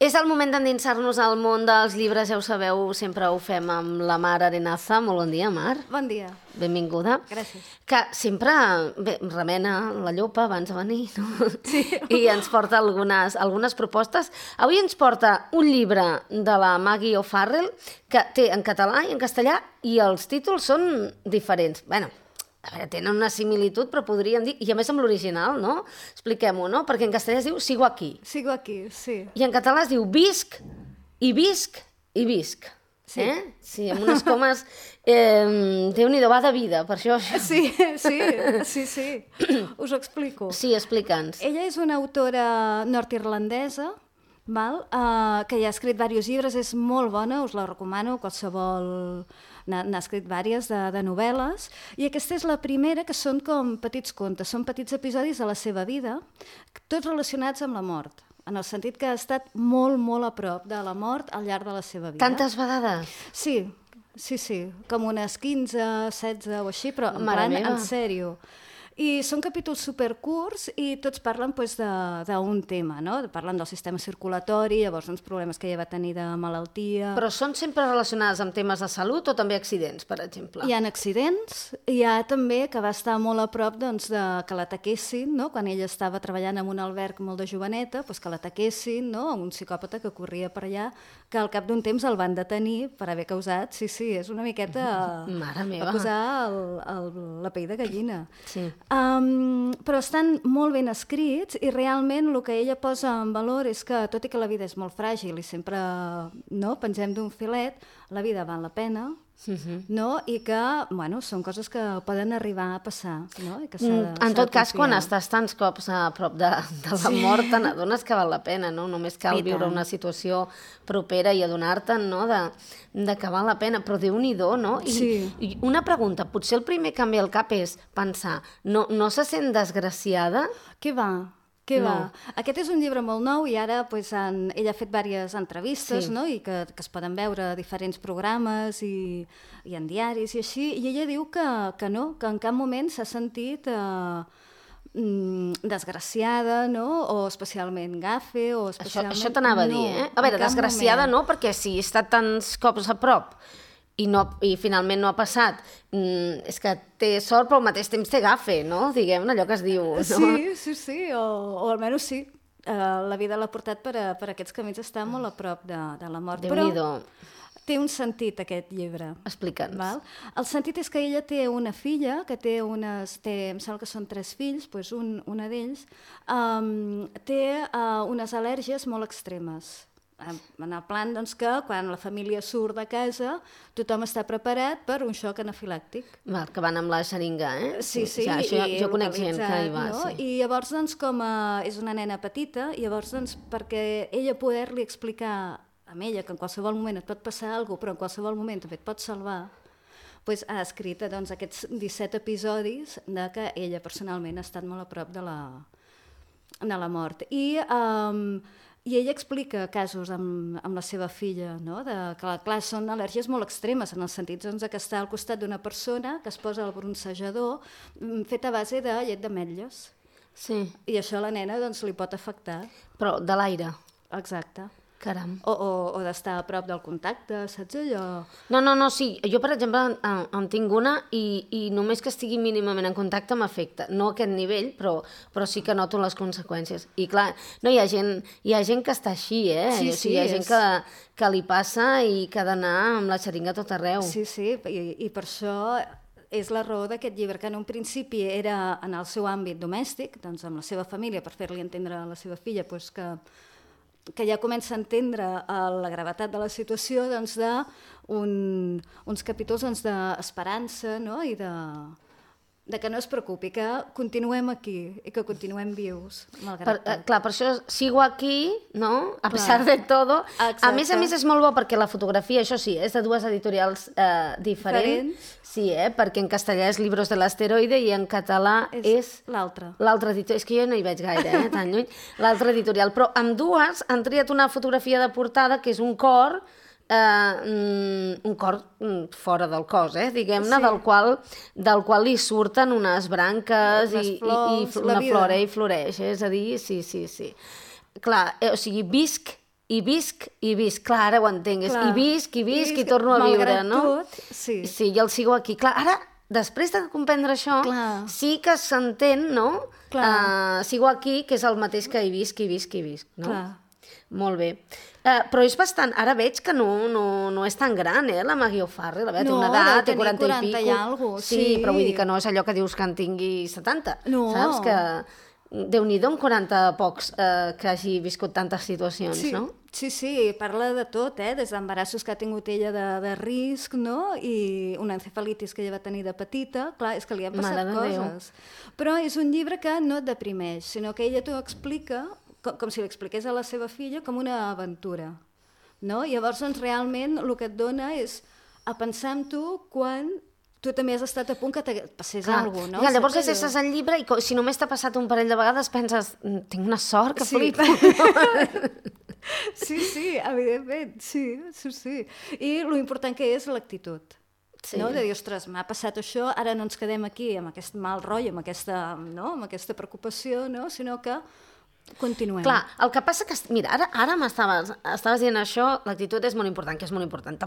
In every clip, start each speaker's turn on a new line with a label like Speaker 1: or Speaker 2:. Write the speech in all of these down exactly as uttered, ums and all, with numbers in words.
Speaker 1: És el moment d'endinsar-nos al món dels llibres, ja ho sabeu, sempre ho fem amb la Mar Arenaza. Molt bon dia, Mar.
Speaker 2: Bon dia.
Speaker 1: Benvinguda.
Speaker 2: Gràcies.
Speaker 1: Que sempre bé, remena la llopa abans de venir, no?
Speaker 2: Sí.
Speaker 1: I ens porta algunes, algunes propostes. Avui ens porta un llibre de la Maggie O'Farrell que té en català i en castellà i els títols són diferents. Bueno, a veure, tenen una similitud, però podríem dir... I a més amb l'original, no? Expliquem-ho, no? Perquè en castellà es diu Sigo aquí.
Speaker 2: Sigo aquí, sí.
Speaker 1: I en català es diu Visc, i visc, i visc.
Speaker 2: Sí.
Speaker 1: Eh? Sí, amb unes comes... Eh, Déu-n'hi-do, va de vida, per això...
Speaker 2: Sí, sí, sí, sí. Us ho explico.
Speaker 1: Sí, explica'ns.
Speaker 2: Ella és una autora nord-irlandesa, val? Uh, que ja ha escrit diversos llibres, és molt bona, us la recomano, qualsevol... N'ha escrit diverses de, de novel·les, i aquesta és la primera, que són com petits contes, són petits episodis de la seva vida, tots relacionats amb la mort, en el sentit que ha estat molt, molt a prop de la mort al llarg de la seva vida.
Speaker 1: Tantes vegades?
Speaker 2: Sí, sí, sí, com unes quinze, setze o així, però en
Speaker 1: Mare
Speaker 2: plan,
Speaker 1: meva.
Speaker 2: en sèrio. I són capítols supercurts i tots parlen pues, d'un tema, no? Parlen del sistema circulatori, llavors uns problemes que ella va tenir de malaltia...
Speaker 1: Però són sempre relacionades amb temes de salut o també accidents, per exemple?
Speaker 2: Hi ha accidents, hi ha també que va estar molt a prop doncs, de que l'ataquessin, no? Quan ella estava treballant en un alberg molt de joveneta, doncs que l'ataquessin, no? Un psicòpata que corria per allà, que al cap d'un temps el van detenir per haver causat, sí, sí, és una miqueta...
Speaker 1: Mare meva.
Speaker 2: Va posar el, el, la pell de gallina.
Speaker 1: Sí.
Speaker 2: Um, però estan molt ben escrits i realment el que ella posa en valor és que, tot i que la vida és molt fràgil i sempre no, pengem d'un filet, la vida val la pena, uh-huh. no? I que bueno, són coses que poden arribar a passar. No? I que
Speaker 1: mm, en tot cas, quan estàs tants cops a prop de, de la sí. mort, te n'adones que val la pena, no? Només cal I viure tant. Una situació propera i adonar-te'n, no? de, de que val la pena, però Déu-n'hi-do, no? I,
Speaker 2: sí.
Speaker 1: I una pregunta, potser el primer que em ve al cap és pensar, no, no se sent desgraciada?
Speaker 2: Què va? Què
Speaker 1: no.
Speaker 2: va? Aquest és un llibre molt nou i ara pues, han, ella ha fet diverses entrevistes, sí. no? I que, que es poden veure a diferents programes i, i en diaris i així, i ella diu que, que no, que en cap moment s'ha sentit eh, mm, desgraciada, no? O especialment gafe, o especialment...
Speaker 1: Això, això t'anava
Speaker 2: no,
Speaker 1: a dir, eh? A veure, desgraciada moment. No, perquè si he estat tants cops a prop i, no, i finalment no ha passat, mm, és que té sort però al mateix temps té gafe, no? Diguem-ne, allò que es diu. No?
Speaker 2: Sí, sí, sí, o, o almenys sí. Uh, la vida l'ha portat per, a, per aquests camins, està molt a prop de, de la mort.
Speaker 1: Déu-n'hi-do.
Speaker 2: Però té un sentit, aquest llibre.
Speaker 1: Explica'ns.
Speaker 2: Val? El sentit és que ella té una filla, que té unes... Té, em sembla que són tres fills, doncs un, una d'ells, um, té uh, unes al·lèrgies molt extremes. En el plan doncs, que quan la família surt de casa tothom està preparat per un xoc anafilàctic.
Speaker 1: Val, que van amb la xeringa, eh?
Speaker 2: Sí, sí.
Speaker 1: Ja, això, jo conec gent que hi va.
Speaker 2: No?
Speaker 1: Sí.
Speaker 2: I llavors, doncs, com a, és una nena petita, i llavors, doncs, perquè ella poder-li explicar a ella que en qualsevol moment et pot passar alguna cosa, però en qualsevol moment també et pot salvar, doncs, ha escrit doncs, aquests disset episodis de que ella personalment ha estat molt a prop de la, de la mort. I... Um, I ella explica casos amb, amb la seva filla, no? de, que clar, són al·lèrgies molt extremes, en el sentit doncs, que està al costat d'una persona que es posa el bronzejador fet a base de llet d'ametlles.
Speaker 1: Sí.
Speaker 2: I això a la nena doncs, li pot afectar.
Speaker 1: Però de l'aire.
Speaker 2: Exacte.
Speaker 1: Caram.
Speaker 2: O, o, o d'estar a prop del contacte, saps allò?
Speaker 1: No, no, no, sí. Jo, per exemple, en, en tinc una i, i només que estigui mínimament en contacte m'afecta. No a aquest nivell, però, però sí que noto les conseqüències. I clar, no, hi ha gent, hi ha gent que està així, eh?
Speaker 2: Sí,
Speaker 1: o sigui,
Speaker 2: sí,
Speaker 1: hi ha gent
Speaker 2: és...
Speaker 1: que, que li passa i que ha d'anar amb la xeringa a tot arreu.
Speaker 2: Sí, sí, i, i per això... És la raó d'aquest llibre, que en un principi era en el seu àmbit domèstic, doncs amb la seva família, per fer-li entendre a la seva filla doncs que, que ja comença a entendre la gravetat de la situació, doncs de un, uns capítols doncs, d'esperança, no? I de, de que no es preocupi, que continuem aquí i que continuem vius, malgrat
Speaker 1: per, clar, per això sigo aquí, no? A
Speaker 2: clar.
Speaker 1: pesar de todo.
Speaker 2: Exacte.
Speaker 1: A més a més és molt bo perquè la fotografia, això sí, és de dues editorials eh, diferents.
Speaker 2: Diferents.
Speaker 1: Sí, eh? Perquè en castellà és Libros de l'Asteroide i en català és...
Speaker 2: És l'altra.
Speaker 1: L'altra editorial. És que jo no hi veig gaire, eh? Tan lluny. L'altra editorial. Però amb dues han triat una fotografia de portada que és un cor, eh, un cor fora del cos, eh, diguem-ne, sí. del, qual, del qual li surten unes branques i, flors, i, i una flora i floreix, és a dir, sí, sí, sí. Clar, eh, o sigui, visc i visc, i visc. Clar, ara ho entenc. És
Speaker 2: Clar.
Speaker 1: i visc, i visc,
Speaker 2: I
Speaker 1: i torno a viure,
Speaker 2: malgrat
Speaker 1: no?
Speaker 2: tot, sí.
Speaker 1: Sí, i el sigo aquí. Clar, ara, després de comprendre això,
Speaker 2: Clar.
Speaker 1: sí que s'entén, no?
Speaker 2: Clar.
Speaker 1: Uh, sigo aquí, que és el mateix que hi visc, hi visc, hi visc, no?
Speaker 2: Clar.
Speaker 1: Molt bé. Uh, però és bastant... Ara veig que no, no, no és tan gran, eh, la Maggie O'Farrell. A veure, té
Speaker 2: No,
Speaker 1: una
Speaker 2: deu
Speaker 1: edat, té
Speaker 2: tenir
Speaker 1: quaranta i
Speaker 2: quaranta i
Speaker 1: pico.
Speaker 2: algo,
Speaker 1: sí,
Speaker 2: sí.
Speaker 1: però vull dir que no és allò que dius que en tingui setanta.
Speaker 2: No.
Speaker 1: Saps? Que Déu-n'hi-do amb quaranta pocs eh, que hagi viscut tantes situacions,
Speaker 2: Sí,
Speaker 1: no?
Speaker 2: sí, sí, parla de tot, eh? Des d'embarassos que ha tingut ella de, de risc, no? I una encefalitis que ella va tenir de petita. Clar, és que li han passat
Speaker 1: Mare de Déu.
Speaker 2: coses. Però és un llibre que no et deprimeix, sinó que ella t'ho explica, com, com si l'expliqués a la seva filla, com una aventura. No? Llavors, doncs, realment, el que et dona és a pensar en tu quan tu també has estat a punt que te passés
Speaker 1: Clar.
Speaker 2: alguna cosa, no?
Speaker 1: Ja, llavors
Speaker 2: Saps allò?
Speaker 1: llegeixes el llibre i co- si només t'ha passat un parell de vegades penses, "Mm, tinc una sort que
Speaker 2: Sí.
Speaker 1: flipo.
Speaker 2: Sí, sí, evidentment, sí, sí, sí. I lo important que és l'actitud.
Speaker 1: Sí.
Speaker 2: No? De dir, ostres, m'ha passat això, ara no ens quedem aquí amb aquest mal rotllo, amb aquesta, no? amb aquesta preocupació, no? Sinó que continuem.
Speaker 1: Clar, el que passa que... Mira, ara, ara m'estaves estaves dient això, l'actitud és molt important, que és molt important.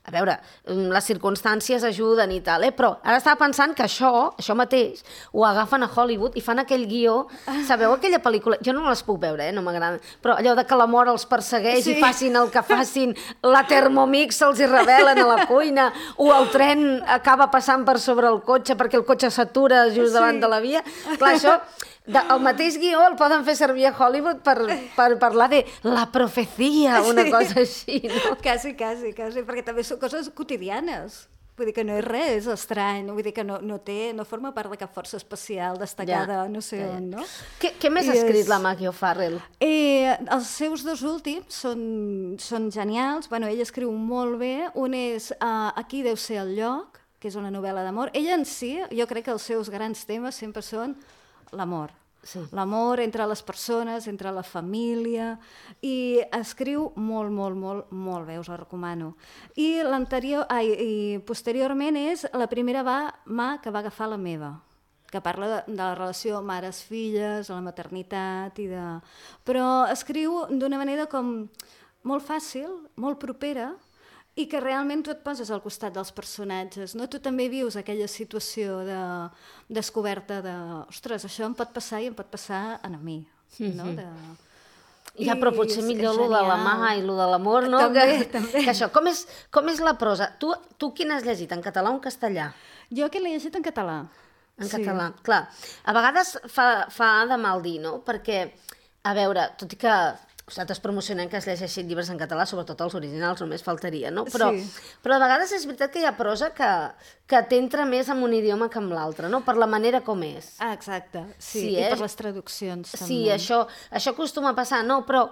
Speaker 1: A veure, les circumstàncies ajuden i tal, eh? Però ara estava pensant que això, això mateix, ho agafen a Hollywood i fan aquell guió... Sabeu aquella pel·lícula? Jo no les puc veure, eh? No m'agrada. Però allò de que la mort els persegueix
Speaker 2: Sí.
Speaker 1: i facin el que facin, la Thermomix se'ls hi revelen a la cuina, o el tren acaba passant per sobre el cotxe perquè el cotxe s'atura just
Speaker 2: Sí.
Speaker 1: davant de la via. Clar, això... De, el mateix guió el poden fer servir a Hollywood per, per parlar de la profecia, una
Speaker 2: Sí.
Speaker 1: cosa així, no?
Speaker 2: Quasi, quasi, quasi, perquè també són coses quotidianes. Vull dir que no és res estrany, vull dir que no, no té, no forma part de cap força especial destacada,
Speaker 1: Ja,
Speaker 2: no sé
Speaker 1: ja, ja.
Speaker 2: on, no?
Speaker 1: Què, què més
Speaker 2: I
Speaker 1: ha escrit
Speaker 2: és-
Speaker 1: la Maggie O'Farrell?
Speaker 2: Eh, els seus dos últims són, són genials. Bueno, ella escriu molt bé. Un és uh, Aquí deu ser el lloc, que és una novel·la d'amor. Ella en si, jo crec que els seus grans temes sempre són l'amor.
Speaker 1: Sí.
Speaker 2: L'amor entre les persones, entre la família, i escriu molt, molt, molt, molt bé, us la recomano. I l'anterior, ai, i posteriorment és La primera va, mà que va agafar la meva, que parla de, de la relació mares-filles, la maternitat, i de... però escriu d'una manera com molt fàcil, molt propera, i que realment tu et poses al costat dels personatges, no? Tu també vius aquella situació de descoberta de, ostres, això em pot passar i em pot passar a mi, no? De...
Speaker 1: Ja, però potser
Speaker 2: és-
Speaker 1: millor
Speaker 2: és
Speaker 1: lo de la
Speaker 2: genial.
Speaker 1: mà i lo de l'amor, no?
Speaker 2: També,
Speaker 1: que,
Speaker 2: també.
Speaker 1: que això, com és, com és la prosa? Tu, tu quin has llegit, en català o en castellà?
Speaker 2: Jo que l'he llegit en català.
Speaker 1: En català, clar. A vegades fa, fa de mal dir, no? Perquè, a veure, tot i que nosaltres promocionem que es llegeixin llibres en català, sobretot els originals, només faltaria, no? Però,
Speaker 2: Sí.
Speaker 1: però a vegades és veritat que hi ha prosa que, que t'entra més en un idioma que en l'altre, no? Per la manera com és.
Speaker 2: Ah, exacte, sí,
Speaker 1: Sí,
Speaker 2: i
Speaker 1: eh?
Speaker 2: per les traduccions també.
Speaker 1: Sí, això, això acostuma a passar, no? Però,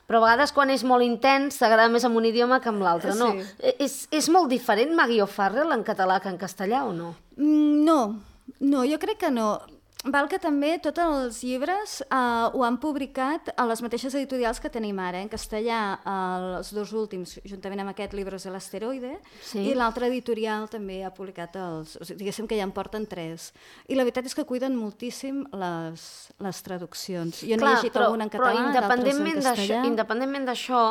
Speaker 1: però a vegades quan és molt intens t'agrada més en un idioma que en l'altre, no?
Speaker 2: Sí.
Speaker 1: És, és molt diferent Maggie O'Farrell en català que en castellà o no?
Speaker 2: Mm, no, no, jo crec que no. Val que també tots els llibres eh, ho han publicat a les mateixes editorials que tenim ara, eh? En castellà els dos últims, juntament amb aquest, Libros de l'asteroide,
Speaker 1: Sí.
Speaker 2: i l'altre editorial també ha publicat els... O sigui, diguéssim que ja en porten tres. I la veritat és que cuiden moltíssim les, les traduccions. Jo n'he llegit alguna en català,
Speaker 1: però
Speaker 2: d'altres en
Speaker 1: independentment d'això,
Speaker 2: castellà.
Speaker 1: independentment d'això,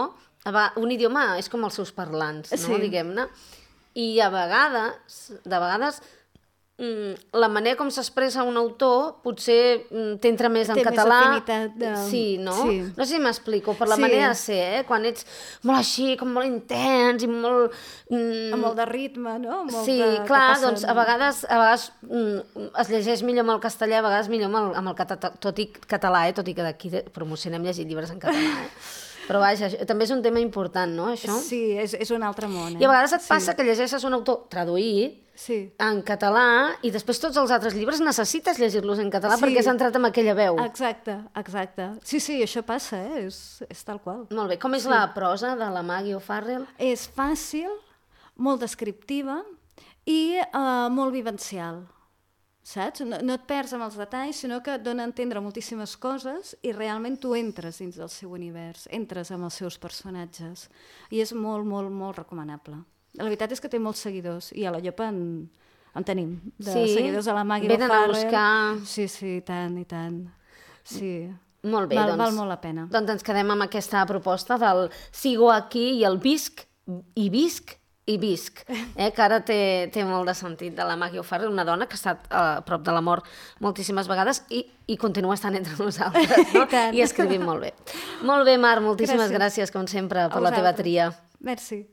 Speaker 1: a va- un idioma és com els seus parlants, no?
Speaker 2: Sí.
Speaker 1: Diguem-ne. I a vegades, de vegades, mm, la manera com s'expressa un autor potser mm, t'entra més en
Speaker 2: Té més
Speaker 1: català.
Speaker 2: afinitat de-
Speaker 1: Sí, no?
Speaker 2: sí.
Speaker 1: No sé si m'explico, per la
Speaker 2: Sí.
Speaker 1: manera de ser, eh? Quan ets molt així, com molt intens i molt... Mm,
Speaker 2: Amb molt de ritme, no? Molt
Speaker 1: Sí,
Speaker 2: de, que
Speaker 1: clar,
Speaker 2: passen-
Speaker 1: doncs a vegades, a vegades mm, es llegeix millor amb el castellà, a vegades millor amb el, amb el cata, tot i català, eh? Tot i que d'aquí de- promocionem llegir llibres en català. Eh? Però vaja, això, també és un tema important, no, això?
Speaker 2: Sí, és, és un altre món. Eh?
Speaker 1: I a vegades et
Speaker 2: Sí.
Speaker 1: passa que llegeixes un autor traduït
Speaker 2: Sí.
Speaker 1: en català i després tots els altres llibres necessites llegir-los en català
Speaker 2: Sí.
Speaker 1: perquè has entrat amb aquella veu.
Speaker 2: Exacte, exacte. Sí, sí, això passa, eh? és, és tal qual.
Speaker 1: Molt bé. Com és la prosa de la Maggie O'Farrell?
Speaker 2: És fàcil, molt descriptiva i eh, molt vivencial, saps? No, no et perds amb els detalls, sinó que et dona a entendre moltíssimes coses i realment tu entres dins del seu univers, entres amb els seus personatges. I és molt, molt, molt recomanable. La veritat és que té molts seguidors i a la Llopa en, en tenim, de
Speaker 1: Sí?
Speaker 2: seguidors a la Maggie
Speaker 1: Venen a
Speaker 2: O'Farrell.
Speaker 1: buscar-
Speaker 2: Sí, sí, i tant, i tant. Sí.
Speaker 1: Molt bé,
Speaker 2: val,
Speaker 1: doncs,
Speaker 2: val molt la pena.
Speaker 1: Doncs ens quedem amb aquesta proposta del sigo aquí i el visc, i visc, i visc, eh, que ara té, té molt de sentit, de la Maggie O'Farrell, una dona que ha estat a prop de la mort moltíssimes vegades i, i continua estant entre nosaltres, no? I, I escrivint molt bé. Molt bé, Mar, moltíssimes gràcies, gràcies com sempre, per la teva tria.
Speaker 2: Merci.